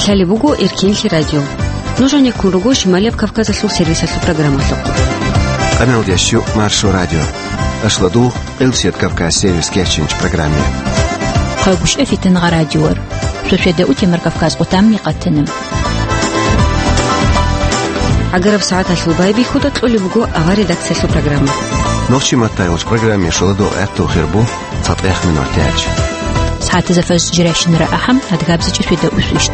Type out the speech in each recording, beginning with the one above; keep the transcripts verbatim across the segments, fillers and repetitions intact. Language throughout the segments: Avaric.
Лъалеб буго Эркинлъи радио. Нуж гьанеккун руго Шималияб Кавказалъул сервисалъул программалъухъ. Къаналдеш Маршо радио. Ашлу дугъ Къилсият Кавказ сервис кечинч программе. Хъагушев Фитнагъа радиор. Шошеда утемар Кавказ къутамни къатана. Агараб сагӀаталъул байбихьуда кьолеб буго авар редакциялъул программа. Нохчи маттайгъуч программе шуладу гӀатту хирбу цатӀех минутач. СагӀатазда фажр жирайщинара ахӀам, адгабзичӀи шуеда усвищт.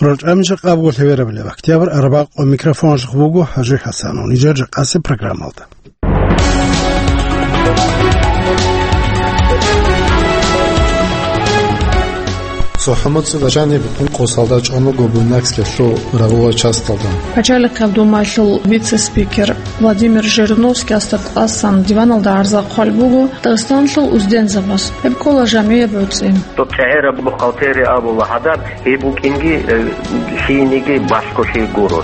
РорчӀамиша къабго лъеверабилеб октябрь арбакъо микрофонлъухъ буго ХӀажи ХӀасанов. Нижер жакъасе программалда. Сухьумуци бажани букӀун къосалда чӀван вуго Буйнакскиялъул рагъула часталда. Пачалихъаб Думаялъул вице-спикер Владимир Жириновский асда тӀасан диваналда гӀарза хъван буго Дагъистаналъул уздензабаз. Гьеб ккола жамгӀияб гӀуцӀи. Доб чӀегӀераб бухгалтери абула гьадаб, гьеб букӀинги, э, лъиениги балъголъи гуро.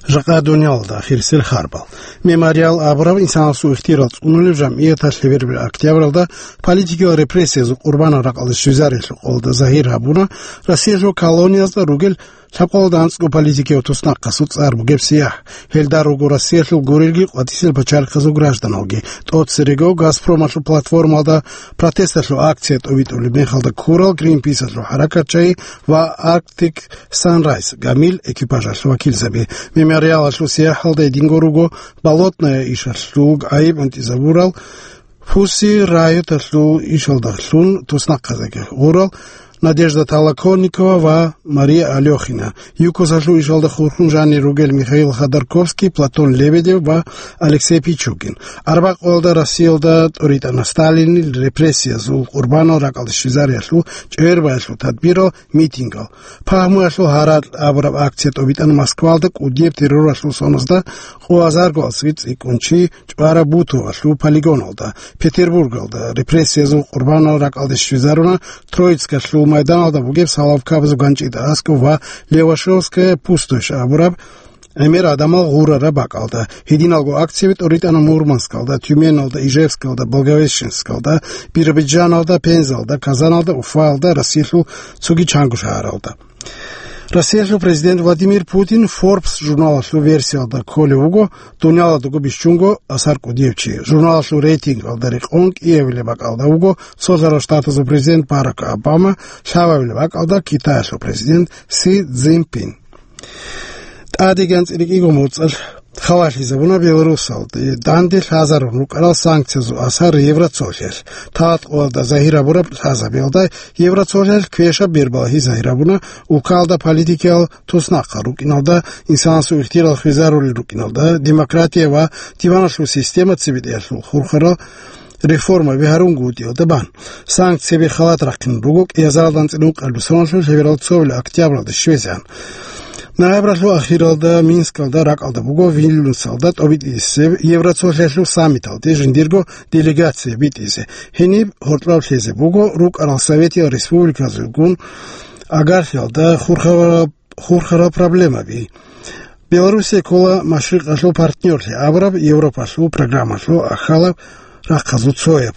Жакъа дуниялалда ахирисел харбал. Мемориал абураб инсанасул ихтияр цӀунулеб жамгӀияталъ лъеверабилеб октябралда политикиял репрессиязул къурбанал ракӀалде щвезариялъул къоялда загьир гьабуна Россиялъул колониязда ругел лъабкъоялда анцӀго политикияв туснахъасул цӀар бугеб сияхӀ. Гьелда руго Россиялъул гурелги къватӀисел пачалихъазул гражданалги, тӀоцерего Газпромалъул платформалда протесталъул акция тӀобитӀулеб мехалда ккурал Гринписалъул хӀаракатчагьи ва Arctic Sunrise гамил экипажалъул вакилзаби. Мемориалалъул сияхӀалда гьединго руго Болотная ишалъул гӀайиб гӀунтӀизабурал, Пусси райоталъул ишалдалъун туснахъазеги гъурал Надежда Толоконникова ва Мария Алёхина, ЮКОСалъул ишалда хурхун жанир ругел Михаил Ходорковский, Платон Лебедев ва Алексей Пичугин. Арбакъоялда Россиялда тӀуритӀана Сталинил репрессиязул къурбанал ракӀалде щвезариялъул чӀвербаялъул тадбирал, митингал. Пагьмуялъул гьаракь абураб акция тӀобитӀана Москвалда кӀудияб терроралъул соназда къо азарго цӀикӀкӀунчи чӀвараб Бутовалъул полигоналда, Петербургалда репрессиязул къурбанал ракӀалде щвезаруна Троицкалъул майданалда бугеб салавкабазул ганчӀида аскӀов ва Левашовская пустошь абураб гӀемер гӀадамал гъурараб бакӀалда. Гьединалго акцияби тӀуритӀана Мурманскалда, Тюменалда, Ижевскалда, Благовещенскалда, Биробиджаналда, Пензалда, Казаналда, Уфаялда, Россиялъул цоги чанго шагьаралда. Россиялъул президент Владимир Путин Forbes журналалъул версиялда кколев вуго дунялалдаго бищунго асар кӀудияв чи. Журналалъул рейтингалда рекъон кӀиабилеб бакӀалда вуго Цолъарал Штатазул президент Барак Обама, лъабабилеб бакӀалда Китаялъул президент Си Цзиньпин. ТӀадегӀан цӀикӀкӀиго моцӀалъ хабалъизабуна Беларусалде данде лъазарун рукӀарал санкциязул асар Евроцолъиялъ. Талъ-къоялда загьир гьабураб лъазабиялда Евроцолъиялъ квешаб бербалагьи загьир гьабуна улкалда политикиял туснахъал рукӀиналда, инсанасул ихтияр хвезарулел рукӀиналда, демократия ва диваналъул система цебетӀеялъул хурхарал реформаби гьарунгутӀиялда бан. Санкцияби халат рахъин руго кӀиазаралда анцӀила ункъабилеб соналъул лъеберал цоабилеб октябралда щвезегӀан. Ноябралъул ахиралда Минскалда ракӀалда буго Вильнюсалда тӀобитӀисеб Евроцолъиялъул саммиталде жиндирго делегация битӀизе. Гьениб гьоркьоб лъезе буго рукӀарал советиял республиказулгун агарлъиялда хурхараб хурхарал проблемаби. Белоруссия ккола машрикъалъул партнёрлъи абураб Европалъул программалъул ахалаб рахъазул цояб.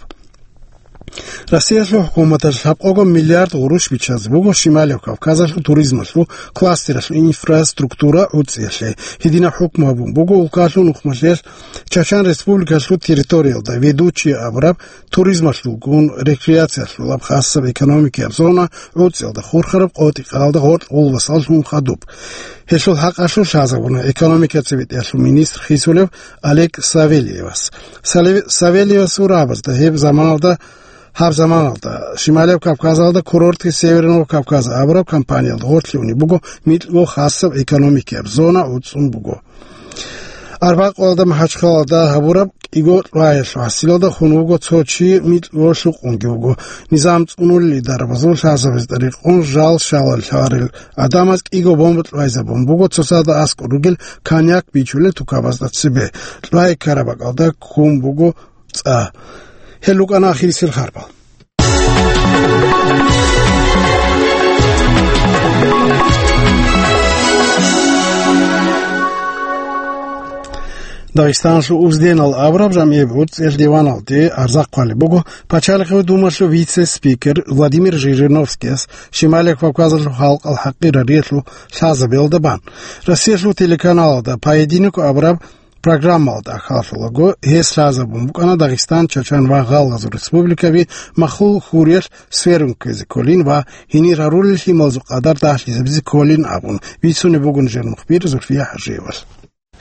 Россиялъул хӀукуматалъ лъабкъого миллиард гъурущ биччазе буго Шималияб Кавказалъул туризмалъул кластералъул инфраструктура гӀуцӀиялъе. Гьединаб хӀукму гьабун буго улкалъул нухмалъиялъ Чачан Республикалъул территориялда Ведучие абураб туризмалъулгун рекреациялъулаб хасаб экономикияб зона гӀуцӀиялда хурхараб къотӀи-къаралда гъоркь гъулбасаллъун хадуб. Гьелъул хӀакъалъулъ лъазабуна экономика цебетӀеялъул министр хисулев Олег Савельевас. Салев-, Савельевасул рагӀабазда гьеб заманалда, гьаб заманалда Шималияб Кавказалда курорти Северного Кавказа абураб компаниялда гъорлъ унеб буго микьго хасаб экономикияб зона гӀуцӀун буго. Арбакъоялда МахӀачхъалалда гьабураб кӀиго лъваялъул хӀасилалда хун вуго цо чи, микьго лъукъунги вуго. Низам цӀунулел дарабазул лъазабазда рекъон жал-шалал лъарил гӀадамаз кӀиго бомба лъвайзабун буго, цоцазда аскӀор ругел коньяк бичулел тукабазда цебе. Лъвай ккараб бакӀалда ккун буго цӀа. Гьел рукӀана ахирисел харбал. Дагъистаналъул Узденал абураб жамгӀияб гӀуцӀиялъ диваналде гӀарза хъвалеб буго Пачалихъ Думаялъул вице-спикер Владимир Жириновскияс, Шималияб Кавказалъул халкъал хӀакъирариялъул лъазабиялда бан. Россиялъул телеканалалда «Поединок» абураб программалда ахӀаллъулаго, гьес лъазабун букӀана Дагъистан, Чачан ва Гъалгъазул республикаби махул хуриялъ сверун ккезе кколин ва гьенир гьарулел лъималазул къадар дагьлъизабизе кколин абун, бицунеб буго нижер мухбир Зульфия ХӀажиевалъ.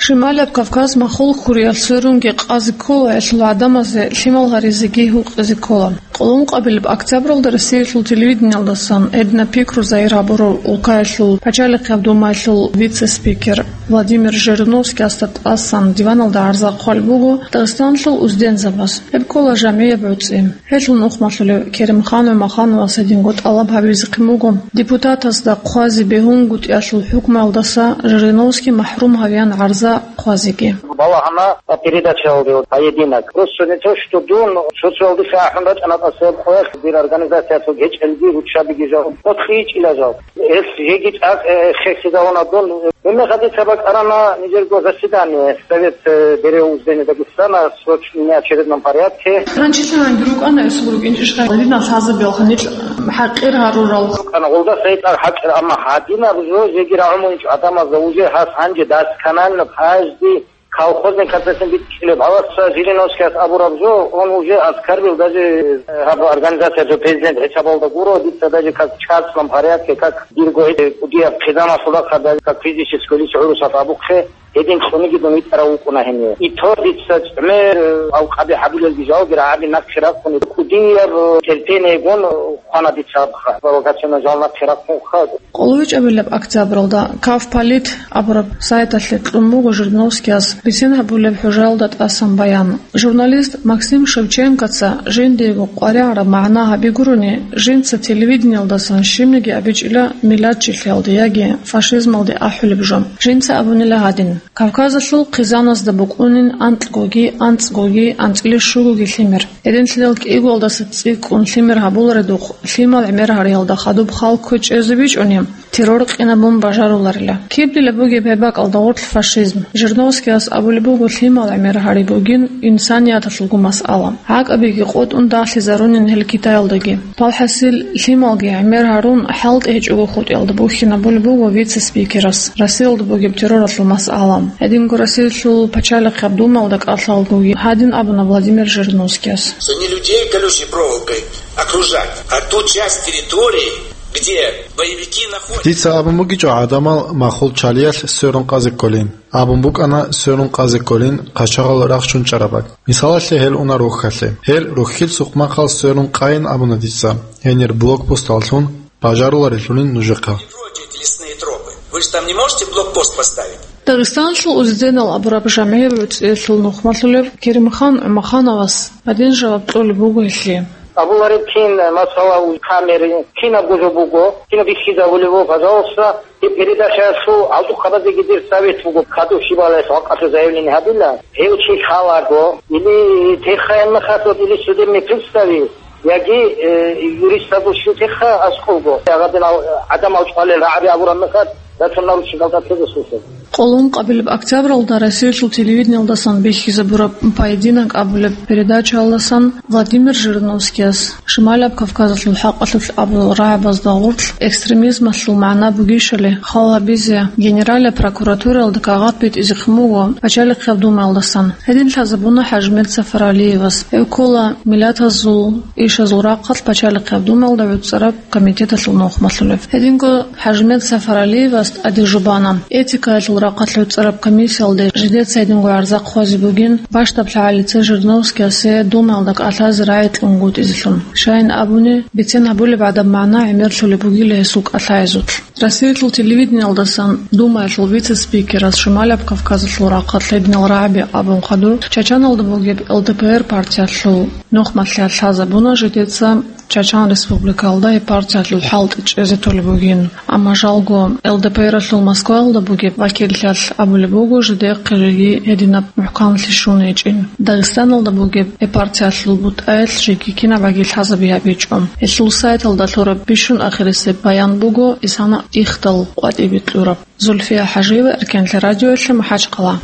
Шималияб Кавказ махул хуриялъ сверунги къазе ккола, гьелъул гӀадамазе лъимал гьаризеги гьукъизе ккола. Къоло ункъабилеб октябралда Россиялъул телевидениялдасан гьединаб пикру загьир гьабурав улкаялъул Пачалихъияб Думаялъул вице-спикер Владимир Жириновскиясда тӀасан диваналда гӀарза хъвалеб буго Дагъистаналъул уздензабаз. Гьеб ккола жамгӀияб гӀуцӀи. Гьелъул нухмалъулев Керимхан ГӀумахановас гьединго тӀалаб гьабизехъин буго депутатазда хъвазе бегьунгутӀиялъул хӀукмуялдаса Жириновский махӀрум гьавеян гӀарза хъвазеги. Балагьана передачаялде «Поединок». Просто не то, что дун социалдаса ахӀун рачӀана тӀаса гьеб къоялъ, дир организациялъул гьечӀелги руччабиги жал, къотлъичӀила жал. Гьес жеги цӀакъ, э, хехизавуна дун. Гьебмехалъ дица бакӀарана нижерго заседание Совет, э, бере уздени Дагестана в срочном неочередном порядке. Ранчилъанги рукӀана гьесул рукӀинчӀищха гьадинал лъазабиялха нилъ хӀакъир гьарурал? РукӀана, гъолдаса гьечӀо хӀакъир, амма гьадинаб жо жеги рагӀун гьечӀо гӀадамазда уже гьас гьанже досконально каждый колхозный концертин битӀчӀилеб гьавасса Жириновскияс абураб жо, он уже оскорбил даже, э, гьаб организациялъул президент хӀисабалда гуро, дица даже как в частном порядке, как дирго гьечӀеб кӀудияб хъизаналъул рахъалда, как физическое лицо гӀурусалъ абухъе, гьедин цӀуниги дун витӀарав вукӀуна гьенив. И то дица гӀемер, э, алкъаби гьабилелги жалги рагӀаби нахъе рахъуни кӀудияб, э, терпениегун, э, хъвана дица абха, провокационный жал нахъе рахъунха. КъолоечӀебилеб октябралда Кавполит абураб сайталъе кьун буго Жириновскияс бицен гьабулеб хӀужаялда тӀасан баян. Журналист Максим Шевченкоца жиндиего къваригӀараб магӀна гьаби гурони, жинца телевидениялдасан щибниги абичӀила миллатчилъиялде яги фашизмалде ахӀулеб жо. Жинца абунила гьадин: Кавказалъул хъизаназда букӀунин анкьгоги, анцӀгоги, анцӀила щугоги лъимер. Гьединлъидал кӀигоялдаса цӀикӀкӀун лъимер гьабуларедухъ, лъимал гӀемер гьариялда хадуб хал кквечӀезе бичӀчӀуни, террор къинабун бажаруларила. Киб дила бугеб гьеб бакӀалда гъорлъ фашизм? Жириновскияс абулеб буго, лъимал гӀемер гьари бугин инсанияталъулго масъала. ГӀакӀабиги къотӀун дагьлъизарунин гьел Китаялдаги. Палхасил лъималги гӀемер гьарун, хӀалтӀи гьечӀого хутӀиялда бухьинабулеб буго вице-спикерас Россиялда бугеб терроралъул масъала. Гьединго Россиялъул Пачалихъияб Думаялда кӀалъалгоги гьадин абуна Владимир Жириновскияс. Что не людей колючей проволокой окружать, а ту часть территории, где боевики находятся. Дица абун бугичӀо гӀадамал махул чалиялъ сверун къазе кколин. Абун букӀана сверун къазе кколин къачагъал рахчун чӀарабаг. Мисалалъе, гьел уна рохьалъе. Гьел рохьил сукъмахъал сверун къайин абуна дица. Гьенир блокпосталлъун бажаруларелъулин нужехъа. Эти лесные тропы. Вы же там не можете блокпост поставить? Дагъистаналъул узденал абураб жамгӀияб гӀуцӀиялъул нухмалъулев Керимхан ГӀумахановас гьадин жаваб кьолеб буго гьелъие. Абулареб кин, масала, камери, кинабго жо буго, кинаб бихьизабулеб буго, пожалуйста, и передачаялъул гьалдухъабазеги дир совет буго, кадур щибалаялъ гьакъалъур заявление гьабила, гьев чи лъалаго, или техаянна хасод, или судебный приставе, яги, э, юристазул щутеха аскӀовго. Гьадинал гӀадамал чӀвалел рагӀаби абураб мехалъ, датун наручникалда теза слушал. Къоло ункъабилеб октябралда Россиялъул телевидениялдасан бихьизабураб «Поединок» абулеб передачаялдасан Владимир Жириновскияс Шималияб Кавказалъул хӀакъалъулъ абурал рагӀабазда гъорлъ экстремизмалъул магӀна бугищали хал гьабизе Генеральная прокуратураялда кагъат битӀизехъин буго Пачалихъияб Думаялдасан. Гьедин лъазабуна ХӀажимет Сафаралиевас. Гьев ккола миллатазул ишазул рахъалъ Пачалихъияб Думаялда гӀуцӀараб комитеталъул нухмалъулев. Гьединго ХӀажимет Сафаралиевас тӀаде жубана. Этикаялъул рахъалъ гӀуцӀараб комиссиялде жидеца гьединго гӀарза хъвазе бугин, бащдаб лъагӀалица Жириновскиясе Думаялда кӀалъазе рагӀи кьунгутӀизелъун. Щайин абуни, бицен гьабулеб гӀадаб магӀна гӀемерлъулеб бугила гьесул кӀалъаязулъ. Россиялъул телевидениялдасан Думаялъул вице-спикерас Шималияб Кавказалъул рахъалъ гьединал рагӀаби абун хадур, Чачаналда бугеб Л Д П Р партиялъул нухмалъиялъ лъазабуна жидеца Чачан Республикалда гьеб партиялъул хӀалтӀи чӀезе толеб бугин, амма жалго Л Д П Р-алъул Москваялда бугеб вакиллъиялъ абулеб буго, жидехъе жеги гьединаб мухӀканлъи щун гьечӀин. Дагъистаналда бугеб гьеб партиялъул бутӀаялъ жеги кинабаги лъазаби гьабичӀо. Гьелъул сайталда лъураб бищун ахирисеб баян буго исана ихдал къватӀибе кьураб. Зульфия ХӀажиева, Эркенлъи радиоялъе, МахӀачхъала.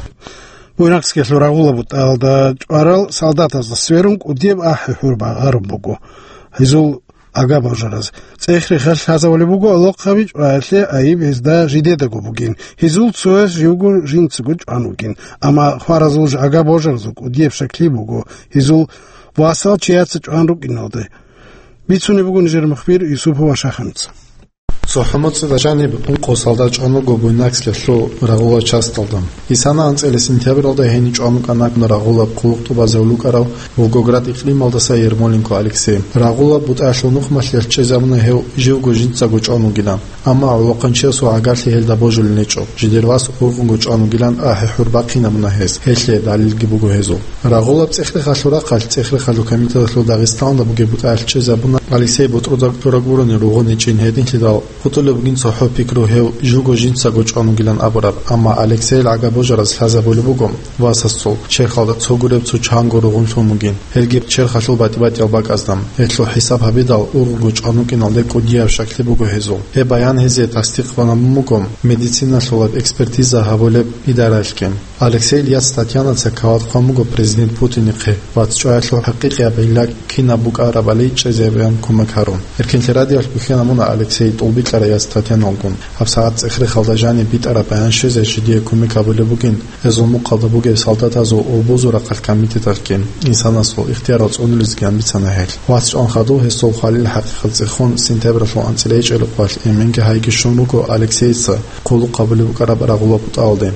Буйнакскиялъул Рагъула бутӀалда чӀварал солдатазда сверун кӀудияб ахӀи-хӀур багъарун буго гьезул агабожараз. ЦӀех-рехалъ лъазабулеб буго гӀолохъаби чӀваялъе айиб гьезда жидедаго бугин, гьезул цояс живго жинцаго чӀван вугин, амма хваразул агабожаразул кӀудияб щаклъи буго гьезул васал чияца чӀван рукӀиналде. Бицунеб буго нижер мухбир Юсупова Шаханица. ЦохӀо-моцӀида жаниб ункъо солдат чӀван вуго Буйнакскиялъул Рагъула часталда. Исана анцӀила сентябралда гьенив чӀван вукӀана Рагъулаб хъулухъ тӀубазе вукӀарав Волгоград икълималдаса Ермоленко Алексей. Рагъулаб бутӀаялъул нухмалъиялъ чӀезабуна гьев живго жинцаго чӀван вугилан. Амма гӀолохъанчиясул гӀагарлъи гьелда божулел гьечӀо, жидер вас ургъунго чӀван вугилан ахӀи-хӀур бахъинабуна гьес, гьелъие далилги буго гьезул. Рагъулаб цӀех-рехалъул рахъалъ цӀех-рехалъул комитеталъул Дагъистаналда бугеб бутӀаялъ чӀезабуна Алексей ботӀрузаб тӀураб гурони ругъун гьечӀин гьединлъидал, хутӀулеб бугин цохӀо пикру гьев живго жинцаго чӀван вугилан абураб, амма Алексейил гӀагабожараз лъазабулеб буго васасул черхалда цо гуреб цо чанго ругъун лъун бугин, гьелги черхалъул батӀи-батӀиял бакӀазда. Гьелъул хӀисаб гьабидал, ургъунго чӀван вукӀиналде кӀудияб щаклъи буго гьезул. Гьеб баян гьезие тасдикъ бан буго медициналъулаб экспертиза гьабулеб идараялъги. Алексейил яц Татьянаца кават хъван буго президент Путинихъе, вац чӀваялъул хӀакъикъияб гӀилла кинаб букӀарабали чӀезабеян кумек гьарун. Эркинлъи радиоялъ бихьана муна Алексей тӀолбикьарай яц Татьяналгун. ГьабсагӀат цӀех-рехалда жаниб битӀараб баян щвезе жидее кумек гьабулеб бугин, гьезул мухъалда бугеб солдатазул гьобозул рахъалъ комитеталъги, инсанасул ихтиярал цӀунулезеги бицана гьел. Вац чӀван хадуб гьесул хвалил хӀакъикъат цӀехун, сентябралъул анцӀила гьечӀеб къоялъ эменги гьайги щун руго Алексейица хъулухъ гьабулеб букӀараб Рагъула бутӀалде.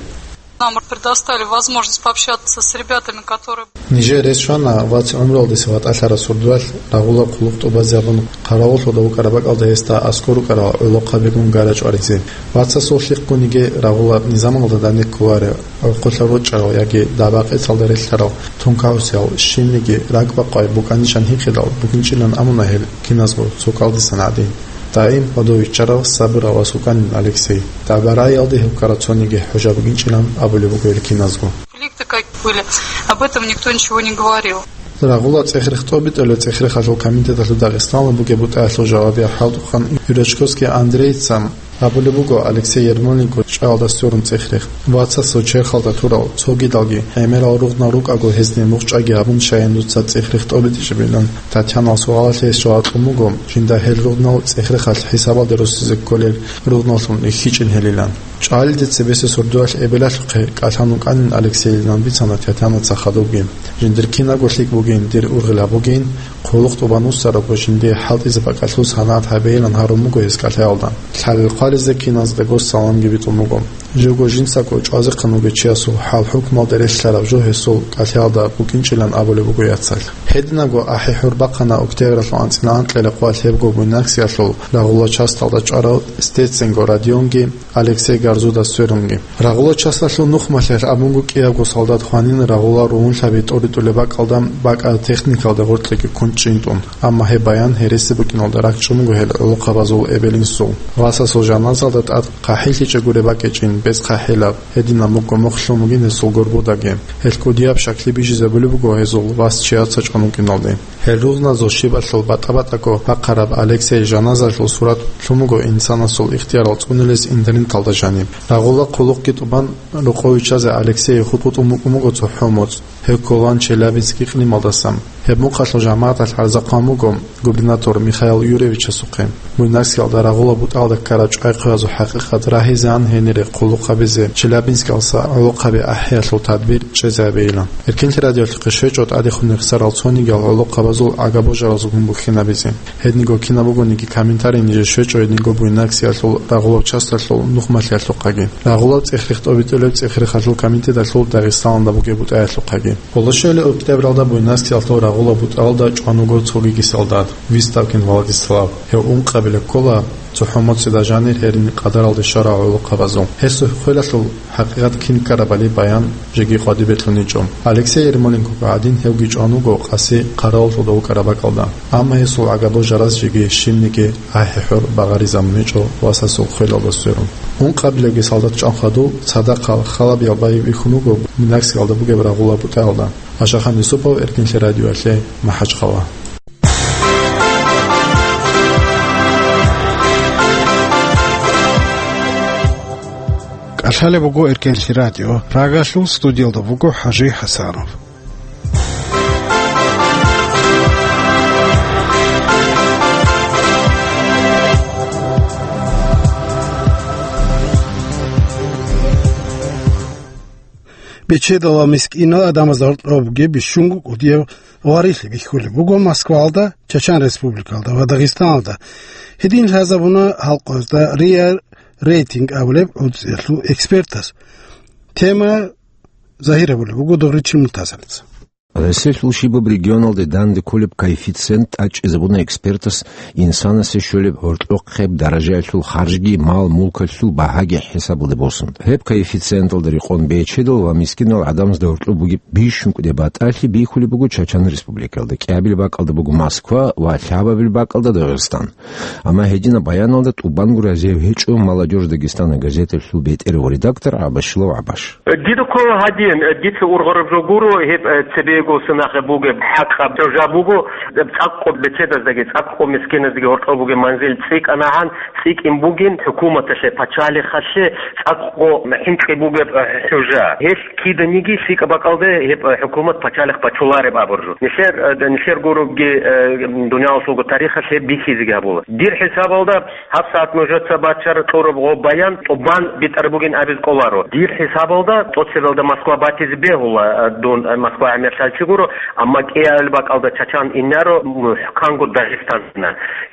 Нам предоставили возможность пообщаться с ребятами, которые... Нижер рес щвана вац гӀумруялдаса ватӀалъараб сурдуялъ Рагъула хъулухъ тӀубазабун, хъаравуллъуда вукӀараб бакӀалда гьесда аскӀор рукӀарал гӀолохъабигун гара чӀваризе. Вацасул лъикъгуниги Рагъула низамалда данде кколарев, гӀурхъулъа рочӀарал яги дагӀба-къецалда релълъарал тункагӀусиял, щибниги ракӀбакъвай букӀанищан гьикъидал букӀинчӀилан абуна гьел киназго цо кӀалдисан гӀадин. Даим гьодов виччарав, сабурав вас вукӀанин Алексей. ДагӀба-рагӀиялде гьев ккараб цониги хӀужа бугинчӀилан абулеб буго гьел киназго. Конфликты какие были, об этом никто ничего не говорил. Рагъула цӀех-рех тӀобитӀулеб цӀех-рехалъул комитеталъул Дагъистаналда бугеб бутӀаялъул жавабияв хӀалтӀухъан Юрачковский Андрейица абулеб буго Алексей Ермоленко чӀваялда сверун цӀех-рех. Вацасул черхалда турал цогидалги гӀемерал ругънал рукӀаго гьезде мухъ чӀваги гьабун, щайин дуца цӀех-рех тӀобитӀичӀебилан Татьянал суалалъе гьес жаваб кьун буго, жинда гьел ругънал цӀех-рехалъ хӀисабалде росизе кколел ругъналлъун рихьичӀин гьелилан. ЧӀалиде цебесеб сурдуялъ эбелалъухъе кӀалъан вукӀанин Алексейилан бицана Татьянаца хадубги. Жиндир кинабго лъикӀ бугин, дир ургъел гьабугин, хъулухъ тӀубан вуссарабго жиндие хӀалтӀизе бакӀалъул санагӀат гьабейилан гьарун буго гьес кӀалъаялда. Лъалел хъвализе киназдаго саламги битӀун буго. Живго жинцаго чӀвазехъан вугев чиясул хӀал-хӀукмалде релълъараб жо гьесул кӀалъаялда букӀинчӀилан абулеб буго яцалъ. Гьединабго ахӀи-хӀур бахъана октябралъул анцӀила анкьила къоялъ гьебго Буйнакскиялъул Рагъула часталда чӀварав Стеценго Родионги Алексей Гарзуда сверунги. Рагъула часталъул нухмалъиялъ абунго кӀиябго солдат хванин Рагъула ругьунлъаби тӀоритӀулеб бакӀалда бакӀараб техникалда гъоркьеги ккун чӀинтӀун. Амма гьеб баян гьереси букӀиналда ракӀчӀун буго гьел гӀолохъабазул эбел-инсул. Васасул жаназалда тӀад хъахӀиллъичӀеб гуреб бакӀичӀин, бецӀ хъахӀилаб, гьединаб мугӀ-мугӀ лъун бугин гьесул горбудаги. Гьел кӀудияб щаклъи бижизабулеб буго гьезул вас чияца чӀван вукӀиналде. Гьел ругъназул щибалъул батӀа-батӀаго бахъараб Алексей жаназалъул сурат лъун буго инсанасул ихтиярал цӀунулез интернеталда жаниб. Рагъула хъулухъги тӀубан, рокъов виччазе Алексей хутӀ-хутӀун букӀун буго цохӀо моцӀ. Гьев кколаан Челябинск икълималдаса. Гьеб мухъалъул жамагӀаталъ гӀарза хъван буго губернатор Михаил Юрьевичасухъе. Буйнакскиялда Рагъула бутӀалда ккараб чӀвай-хъваязул хӀакъикъат рагьизеан гьенире хъулухъ гьабизе Челябинскалъа гӀолохъаби ахӀиялъул тадбир чӀезабейилан. Эркинлъи радиоялъухъе щвечӀо тӀадехун рехсарал цонигиял гӀолохъабазул агабожаразулгун бухьинабизе. Гьединго кинаб бугониги комментарий нижер щвечӀо гьединго Буйнакскиялъул Рагъулаб часталъул нухмалъиялъухъаги, Рагъулаб цӀех-рех тӀобитӀулеб цӀех-рехалъул комитеталъул Дагъистаналда бугеб бутӀаялъухъаги. Гьоло щвелеб октябралда Буйнакскиялъул Рагъулаб бутӀалда чӀван вуго цогиги солдат, Выставкин Владислав. Гьев ункъабилеб ккола цохӀо моцӀида жанир гьерин къадаралде щварал гӀолохъабазул. Гьесул хвелалъул хӀакъикъат кин ккарабали баян жеги къватӀибе кьуничӀо. Алексей Ермоленкого гӀадин гьевги чӀван вуго къаси хъаравуллъуда вукӀараб бакӀалда. Амма гьесул агабожараз жеги щибниги ахӀи-хӀур багъаризабун гьечӀо васасул хвелалда сверун. Ункъабилебги солдат чӀван хадуб, цадахъал халабиял байбихьун вуго Буйнакскиялда бугеб Рагъулаб бутӀаялда. Ашахан Юсупов, Эркинлъи радиоялъе, МахӀачхъала. Лъалеб буго Эркенлъи радио. Прагалъул студиялда буго ХӀажи ХӀасанов. Бечедал ва мискинал гӀадамазда гьоркьоб бугеб бищунго кӀудияб гъварилъи бихьулеб буго Москваялда, Чачан Республикалда ва Дагъистаналда. Гьедин лъазабуна халкъазда РИА Рейтинг абулеб гӀуцӀиялъул экспертас. Тема загьир гьабулеб буго Дугъричил Муртазалица. Гьесилъул щибаб регионалде данде кколеб коэффициент тӀачӀизабуна экспертас инсанасе щолеб гьоркьохъеб даражаялъул харжги мал-мулкалъул багьаги хӀисабалде босун. Гьеб коэффициенталда рекъон бечедал ва мискинал гӀадамазда гьоркьоб бугеб бищункӀде батӀалъи бихьулеб буго Чачан Республикалда, кӀиабилеб бакӀалда буго Москва ва лъабабилеб бакӀалда Дагъистан. Амма гьединаб баяналда тӀубанго разияб гьечӀо «Молодёжь Дагестана» газеталъул бетӀер ва редактор ГӀабашилов ГӀабаш. Дида ккола гьадин, дица ургъараб жо гуро, гьеб, э, цебего сунахъе бугеб хӀакъаб жо жа буго, цӀакъго бечедаздаги, цӀакъго мискиназдаги гьоркьоб бугеб манзил цӀикӀкӀанагӀан, цӀикӀкӀин бугин хӀукуматалъе, пачалихъалъе цӀакъго хӀинкъи бугеб, э, хӀужа. Гьелъ киданиги лъикӀаб бакӀалде гьеб, э, хӀукумат пачалихъ бачулареб абуржу. Нилъер, э, нилъер гуребги, э, дуниялалъулго тарихалъ гьеб бихьизеги гьабула. Дир хӀисабалда, гьабсагӀат нужеца бачара кьураб гъоб баян тӀубан битӀараб бугин абизе кӀоларо. Дир хӀисабалда, тӀоцебелда Москва батизе бегьула, э, дун, э, Москва гӀемерлъанчи гуро, амма кӀиабилеб бакӀалда Чачан инаро, мухӀканго Дагъистан.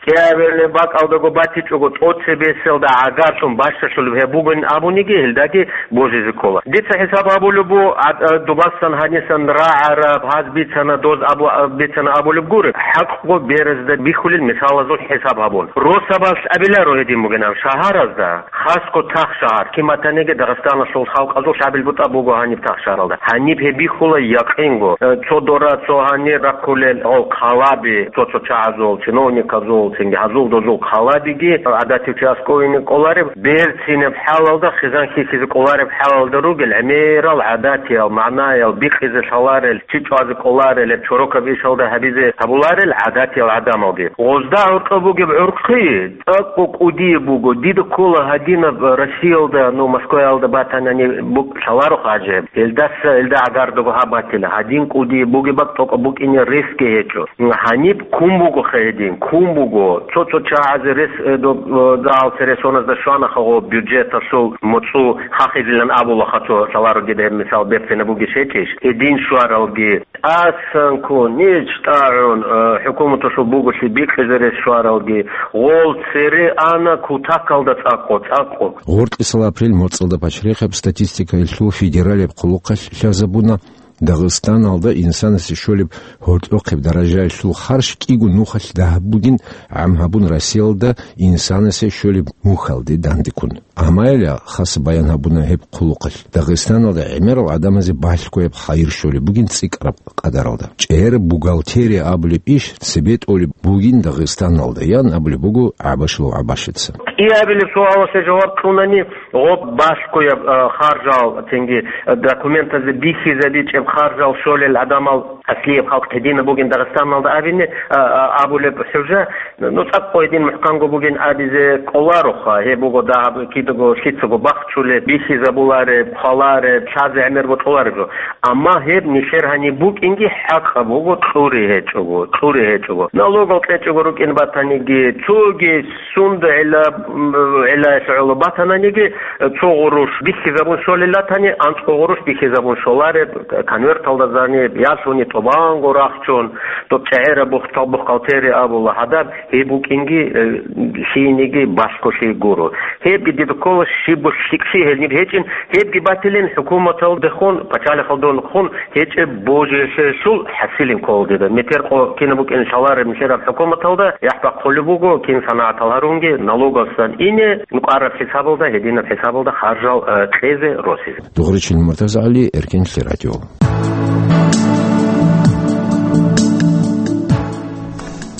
КӀиабилеб бакӀалдаго батичӀого, тӀоцебеселда гӀагарлъун бащалъулеб гьеб бугин абуниги, гьелдаги божизе ккола. Дица хӀисаб гьабулеб бу, а, а, дубасан гьанисан рагӀараб, гьаз бицана, доз абу-, а, бицана абулеб гури. ХӀакъго беразда бихьулел мисалазул хӀисаб гьабун. Росабалъ абиларо гьедин бугин аб шагьаразда, хасго тахшагьар, кин батаниги Дагъистаналъул халкъазул лъабил бутӀа буго гьаниб тахшагьаралда. Гьаниб гьеб бихьула якъинго. Э, цо дора, цо гьанир рахъулел гьол хъалаби, цо-цо чагӀазул, чиновниказул, цинги гьазул-дозул хъалабиги гӀадатив чи аскӀовине кӀолареб, берцинаб хӀалалда, хизан хьихьизе кӀолареб хӀалалда ругел, гӀемерал гӀадатиял, магӀнаял бикъизе лъаларел, чи чӀвазе кӀоларел, гьеб чорокаб ишалда гьабизе гьабуларел гӀадатиял гӀадамалги. Гъозда гьоркьоб бугеб гӀурхъи цӀакъго кӀудияб буго. Дида ккола гьадинаб Россиялда, ну, Москваялда батанани бу-, лъаларо хъажи гьеб. Гьелдаса, гьелда гӀагардаго гьаб батила. Гьадин кӀудияб бугеб бакӀ тӀокӀаб букӀине ресги гьечӀо. Гьаниб ккун буго хъе гьедин, ккун буго. Цо-цо чагӀазе рес, э, доб-, э, дагьал цересоназда щванаха гъо бюджеталъул моцӀу хахизилан абулаха цо лъаларо дида гьеб мисал берцинаб бугищ гьечӀищ. Гьедин щваралги. ТӀасан ккун, ниж тӀагӀун, э, хӀукуматалъул буголъи бикъизе рес щваралги, гъол цере ана кутакалда цӀакъо, цӀакъо. Гъоркьисал апрель моцӀалда пачрихъаб статистикаялъул федералияб хъулухъалъ лъазабуна, Дагъистаналда инсанасе щолеб гьоркьохъеб даражаялъул харж кӀиго нухалъ дагьаб бугин гӀам гьабун Россиялда инсанасе щолеб мухьалде дандеккун. Амайла хас баян гьабуна гьеб хъулухъалъ. Дагъистаналда гӀемерал гӀадамазе балъгояб хайир щолеб бугин цӀикӀкӀараб къадаралда. ЧӀегӀераб бухгалтерия абулеб иш цебе тӀолеб бугин Дагъистаналда, ян абулеб буго ГӀабашилов ГӀабашица. КӀиабилеб суалалъе жаваб кьунани, гъоб балъгояб, а, харжал, цинги, а, документазе бихьизабичӀеб харжал щолел гӀадамал аслияб халкъ гьединаб бугин Дагъистаналда абине, а, а, абулеб хӀужа, ну, цӀакъго гьедин мухӀканго бугин абизе кӀолароха, гьеб буго дагьаб кидаго лъицаго бахчулеб, бихьизабулареб, хъвалареб, лъазе гӀемер бокьулареб жо. Амма гьеб нилъер гьаниб букӀинги хӀакъаб буго, кьури гьечӀого, кьури гьечӀого. Налогал кьечӀого рукӀин батаниги, цоги сунда гӀила, м, гӀилаялъ гӀоло батананиги, цо гъурущ бихьизабун щолел ратани, анцӀго гъурущ бихьизабун щолареб, конверталда зани, ялъуни тӀубанго рахчун, доб чӀегӀераб бухтал-, бухгалтерия абула гьадаб, гьеб букӀинги, э, лъиениги балъголъи гуро. Гьебги дида ккола щибго лъикӀлъи гьелниб гьечӀин, гьебги батилин хӀукуматалдехун, пачалихалдехун гьечӀеб божиялъул хӀасилин ккола дида. Метер къо кинаб букӀин лъалареб нилъераб хӀукуматалда, яхӀ бахъулеб буго, кин санагӀатал гьарунги, налогасан ине, нукъараб хӀисабалда, гьединаб хӀисабалда харжал, э, кьезе, росизе. Дугъричил Муртазагьали, Эркенлъи радио.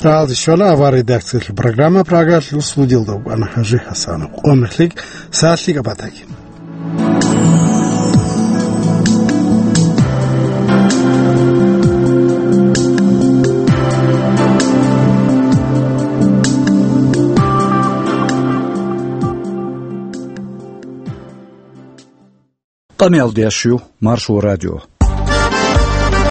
Рагьалде щвела авар редакциялъул программа, Прагалъул студиялда вукӀана ХӀажи ХӀасанов. Къо мехлъи, сагӀатлъи габатаги. Къамиялдеящую, Маршо радио.